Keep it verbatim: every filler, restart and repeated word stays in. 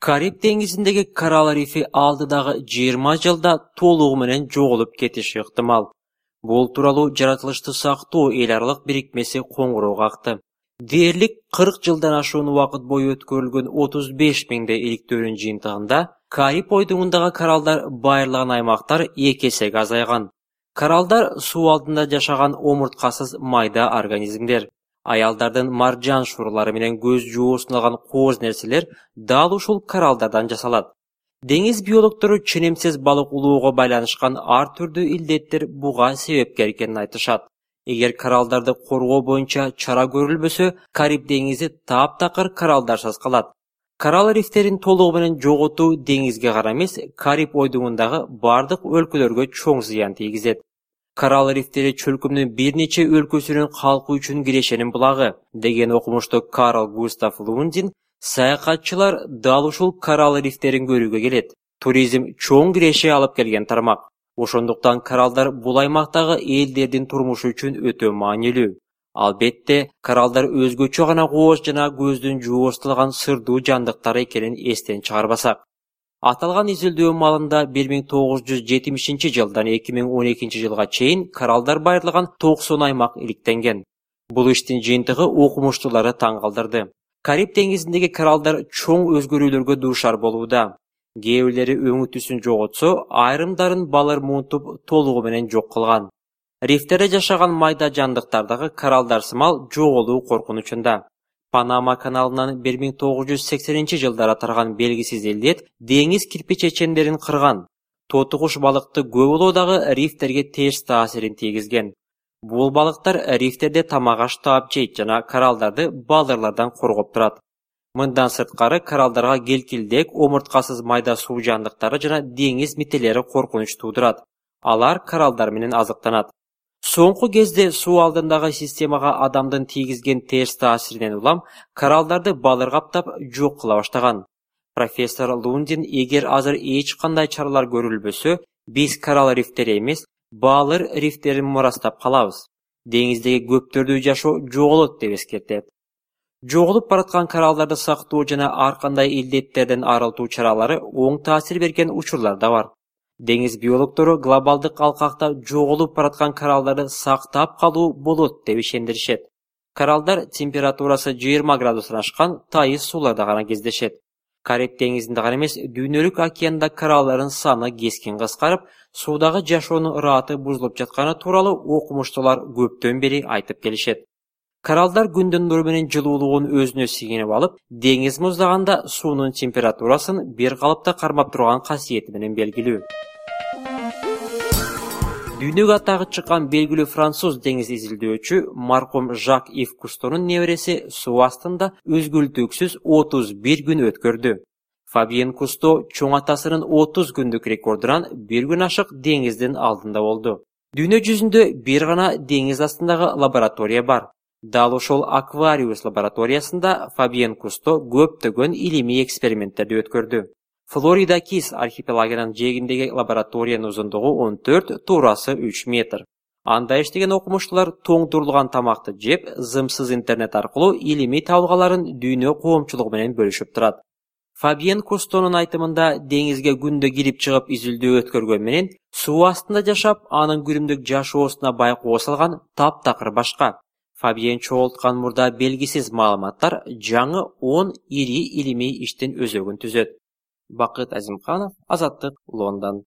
Кариб деңизиндеги Коралл рифи алдыдагы жыйырма жылда толугу менен жоголуп кетиши ыктымал. Бул тууралуу жаратылышты сактоо эл аралык бирикмеси коңгуроо какты. Дээрлик кырк жылдан ашуун убакыт бою өткөрүлгөн отуз беш миңдей иликтөөнүн жыйынтыгында Кариб ойдуңундагы кораллдар байырлаган аймактар эки эсеге азайган. Кораллдар суу алдында жашаган омурткасыз майда организмдер. Аялдардын маржан шурулары менен көз жоосуналган кооз нерселер дал ушул кораллдардан жасалат. Деңиз биологдору ченемсиз балык улоого байланышкан ар түрдүү илдеттер буга себепкер экенин айтышат. Эгер кораллдарды коргоо боюнча чара көрүлбөсө, Кариб деңизи таптакыр кораллдарсыз калат. Коралл рифтерин толугу менен жоготуу деңизге гана эмес, Кариб ойдуңундагы бардык өлкөлөргө чоң зыян тийгизет. Коралл рифтери чөлкөмдүн бир нече өлкөсүнүн калкы үчүн кирешенин булагы, деген окумуштуу Карл Густав Лундин, саякатчылар дал ушул коралл рифтерин көрүүгө келет. Туризм чоң киреше алып келген тармак. Ошондуктан кораллдар бул аймактагы элдердин турмушу үчүн өтө маанилүү. Албетте, кораллдар өзгөчө гана кооз жана көздүн жоостулган сырдуу жандыктар экенин эстен чыгарбасак. Аталган изилдөө маалында бир миң тогуз жүз жетимишинчи жылдан эки миң он экинчи жылга чейин кораллдар байырлаган токсон аймак иликтенген. Бул иштин жыйынтыгы окумуштууларды таң калтырды. Кариб деңизиндеги кораллдар чоң өзгөрүүлөргө дуушар болууда. Кээ бирлери өңү түсүн жоготсо, айрымдарын балыр муунтуп толугу менен жок кылган. Рифтерде жашаган майда жандыктардагы кораллдар сымал жоголуу коркунучунда. Панама каналынан бир миң тогуз жүз сексенинчи жылдары тараган белгисиз илдет деңиз кирпичечендерин кырган. Тоту куш балыкты көп улоо дагы рифтерге терс таасирин тийгизген. Бул балыктар рифтерде тамак-аш таап жейт жана кораллдарды балырлардан коргоп турат. Мындан сырткары кораллдарга келкилдек, омурткасыз майда суу жандыктары жана деңиз мителери коркунуч туудурат. Алар кораллдар менен азыктанат. Соңку кезде суу алдындагы системага адамдын тийгизген терс таасиринен улам кораллдарды балыр каптап жок кыла баштаган. Профессор Лундин, эгер азыр эч кандай чаралар көрүлбөсө, биз коралл рифтери эмес, балыр рифтерин мурастап калабыз. Деңиздеги көптөрдүү жашоо жоголот деп эскертет. Жоголуп бараткан кораллдарды сактоо жана ар кандай илдеттерден арылтуу чаралары оң таасир берген учурлар да бар. Деңиз биологдору глобалдык алкакта жоголуп бараткан кораллдарды сактап калуу болот деп ишендиришет. Кораллдар температурасы жыйырма градустан ашкан тайыз сууларда гана кездешет. Кариб деңизинде гана эмес, дүйнөлүк океанда кораллдардын саны кескин кыскарып, суудагы жашоонун ыраты бузулуп жатканы тууралуу окумуштуулар көптөн бери айтып келишет. Кораллдар күндүн нуру менен жылуулугун өзүнө сиңирип алып, деңиз муздаганда суунун температурасын бир калыпта кармап турган касиети менен белгилүү. Дүйнөгө атагы чыккан белгилүү француз деңиз изилдөөчү маркум Жак Ив Кустонун небереси суу астында өзгөлтүүксүз отуз бир күн өткөрдү. Фабиен Кусто чоң атасынын отуз күндүк рекордунан бир күн ашык деңиздин алдында болду. Дүйнө жүзүндө бир гана деңиз астындагы лаборатория бар. Дал ошол Аквариус лабораториясында Фабиен Кусто көптөгөн илимий эксперименттерди өткөрдү. Флорида Кис архипелагынын жээгиндеги лабораториянын узундугу он төрт, туурасы үч метр. Анда иштеген окумуштуулар тоңдурулган тамакты жеп, зымсыз интернет аркылуу илимий табылгаларын дүйнө коомчулугу менен бөлүшүп турат. Фабиен Кустонун айтымында, деңизге күндө кирип чыгып изилдөө өткөргөн менен суу астында жашап, анын күнүмдүк жашоосуна байкоо салган таптакыр башка. Фабиен чогулткан мурда белгисиз маалыматтар жаңы он ири илимий иштин өзөгүн түзөт. Бакыт Азимканов, Азаттык, Лондон.